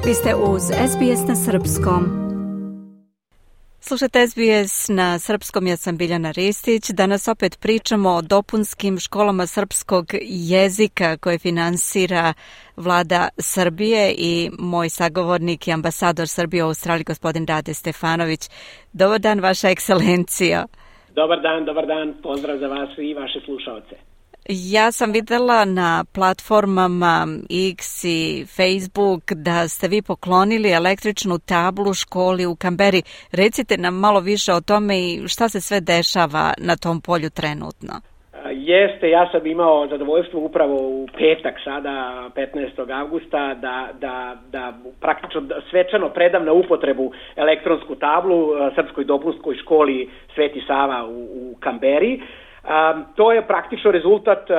Vi ste uz SBS na srpskom. Slušajte SBS na srpskom, ja sam Biljana Ristić. Danas opet pričamo o dopunskim školama srpskog jezika koje finansira Vlada Srbije i moj sagovornik je ambasador Srbije u Australiji, gospodin Rade Stefanović. Dobar dan, vaša ekscelencija. Dobar dan, pozdrav za vas i vaše slušaoce. Ja sam videla na platformama X i Facebook da ste vi poklonili električnu tablu školi u Kamberi. Recite nam malo više o tome i šta se sve dešava na tom polju trenutno. Jeste, ja sam imao zadovoljstvo upravo u petak sada, 15. avgusta, da praktično svečano predam na upotrebu elektronsku tablu Srpskoj dopunskoj školi Sveti Sava u Kamberi. To je praktično rezultat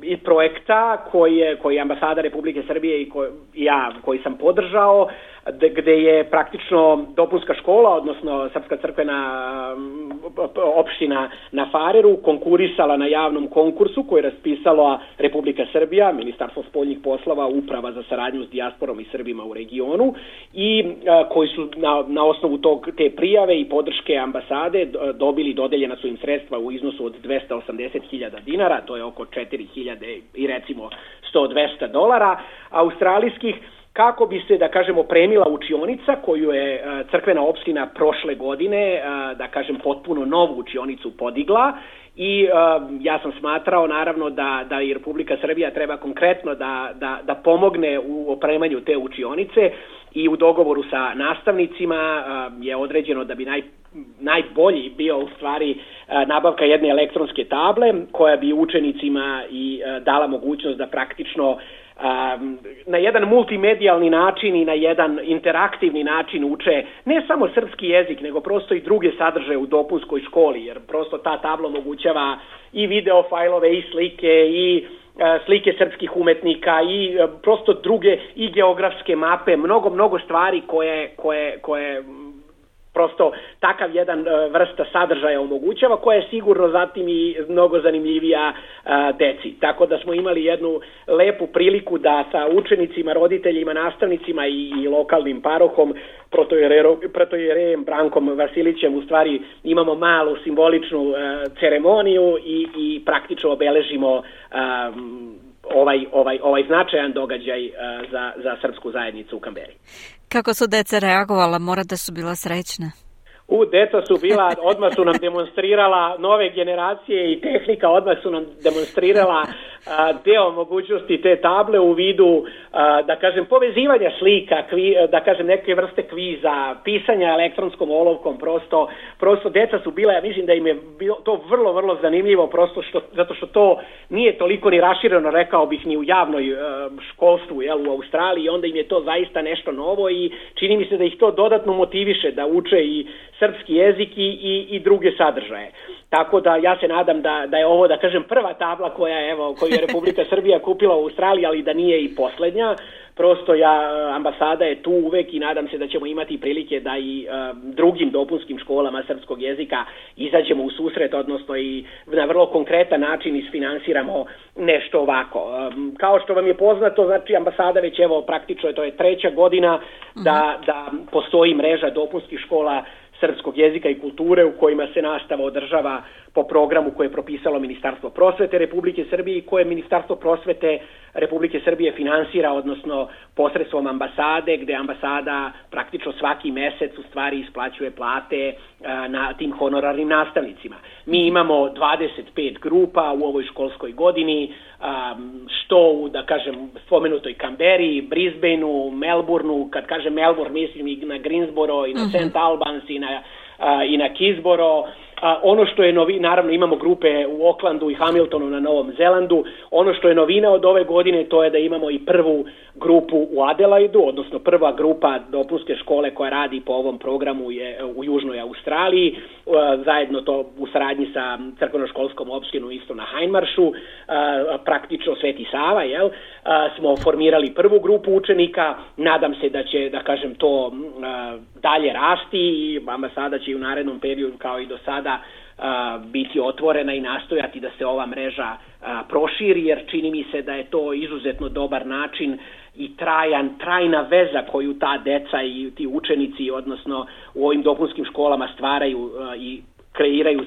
i projekta koji je ambasada Republike Srbije i ja koji sam podržao, gde je praktično dopunska škola, odnosno Srpska crkvena opština na Fareru konkurisala na javnom konkursu koji je raspisala Republika Srbija, Ministarstvo spoljnih poslova, Uprava za saradnju s dijasporom i Srbima u regionu i koji su na osnovu te prijave i podrške ambasade dodeljena su im sredstva u iznosu od 280.000 dinara, to je oko 4.000 i recimo $100-200 australijskih, kako bi se, da kažemo, opremila učionica koju je crkvena opština prošle godine, da kažem, potpuno novu učionicu podigla i ja sam smatrao naravno da i Republika Srbija treba konkretno da pomogne u opremanju te učionice i u dogovoru sa nastavnicima je određeno da bi najbolji bio u stvari nabavka jedne elektronske table koja bi učenicima i dala mogućnost da praktično na jedan multimedijalni način i na jedan interaktivni način uče ne samo srpski jezik, nego prosto i druge sadržaje u dopunskoj školi, jer prosto ta tabla omogućava i video fajlove i slike i slike srpskih umetnika i prosto druge i geografske mape, mnogo stvari koje prosto takav jedan vrsta sadržaja omogućava, koja je sigurno zatim i mnogo zanimljivija deci. Tako da smo imali jednu lepu priliku da sa učenicima, roditeljima, nastavnicima i lokalnim parohom, protojerejem Brankom Vasilićem, u stvari imamo malu simboličnu ceremoniju i praktično obeležimo ovaj značajan događaj za srpsku zajednicu u Kamberi. Kako su deca reagovala? Mora da su bila srećna. Deca su bila, odmah su nam demonstrirala nove generacije i tehnika, odmah su nam demonstrirala deo mogućnosti te table u vidu, da kažem, povezivanja slika, da kažem, neke vrste kviza, pisanja elektronskom olovkom, prosto deca su bila, ja mislim da im je bilo to vrlo zanimljivo, zato što to nije toliko ni rašireno, rekao bih, ni u javnoj školstvu u Australiji, i onda im je to zaista nešto novo i čini mi se da ih to dodatno motiviše da uče i srpski jezik i druge sadržaje. Tako da ja se nadam da je ovo, da kažem, prva tabla koju je Republika Srbija kupila u Australiji, ali da nije i poslednja. Prosto ambasada je tu uvek i nadam se da ćemo imati prilike da i drugim dopunskim školama srpskog jezika izađemo u susret, odnosno i na vrlo konkretan način isfinansiramo nešto ovako. Kao što vam je poznato, znači ambasada već praktično to je 3. godina da postoji mreža dopunskih škola srpskog jezika i kulture u kojima se nastava održava po programu koje je propisalo Ministarstvo prosvete Republike Srbije i koje Ministarstvo prosvete Republike Srbije finansira, odnosno posredstvom ambasade, gde ambasada praktično svaki mesec u stvari isplaćuje plate na tim honorarnim nastavnicima. Mi imamo 25 grupa u ovoj školskoj godini, što u, da kažem, spomenutoj Kamberi, Brisbaneu, Melbourneu, kad kažem Melbourne mislim i na Greensboro i na St. Albans i na Kisboro. Ono što je naravno imamo grupe u Aucklandu i Hamiltonu na Novom Zelandu. Ono što je novina od ove godine, to je da imamo i prvu grupu u Adelaidu, odnosno prva grupa dopunske škole koja radi po ovom programu je u Južnoj Australiji, zajedno to u saradnji sa crkveno-školskom opštinom isto na Hindmarshu, praktično Sveti Sava, smo formirali prvu grupu učenika. Nadam se da će, da kažem, to dalje rasti i ambasada će u narednom periodu kao i do sada biti otvorena i nastojati da se ova mreža proširi, jer čini mi se da je to izuzetno dobar način i trajna veza koju ta deca i ti učenici, odnosno u ovim dopunskim školama stvaraju i kreiraju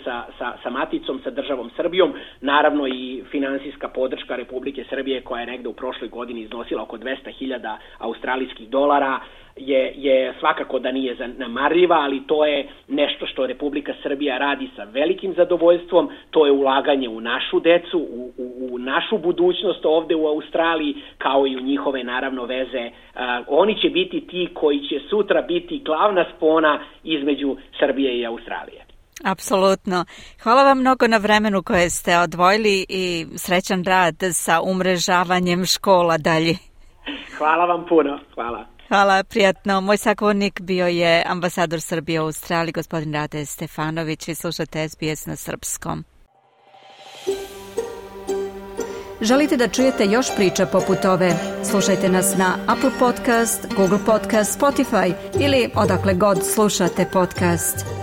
sa maticom, sa državom Srbijom, naravno i finansijska podrška Republike Srbije koja je negde u prošloj godini iznosila oko 200.000 australijskih dolara, je svakako da nije zanemarljiva, ali to je nešto što Republika Srbija radi sa velikim zadovoljstvom, to je ulaganje u našu decu, u našu budućnost ovde u Australiji, kao i u njihove naravno veze. Oni će biti ti koji će sutra biti glavna spona između Srbije i Australije. Apsolutno. Hvala vam mnogo na vremenu koje ste odvojili i srećan rad sa umrežavanjem škola dalje. Hvala vam puno. Hvala. Hvala, prijatno. Moj sagovornik bio je ambasador Srbije u Australiji, gospodin Rade Stefanović, i slušate SBS na srpskom. Želite da čujete još priča poput ove? Slušajte nas na Apple Podcast, Google Podcast, Spotify ili odakle god slušate podcast.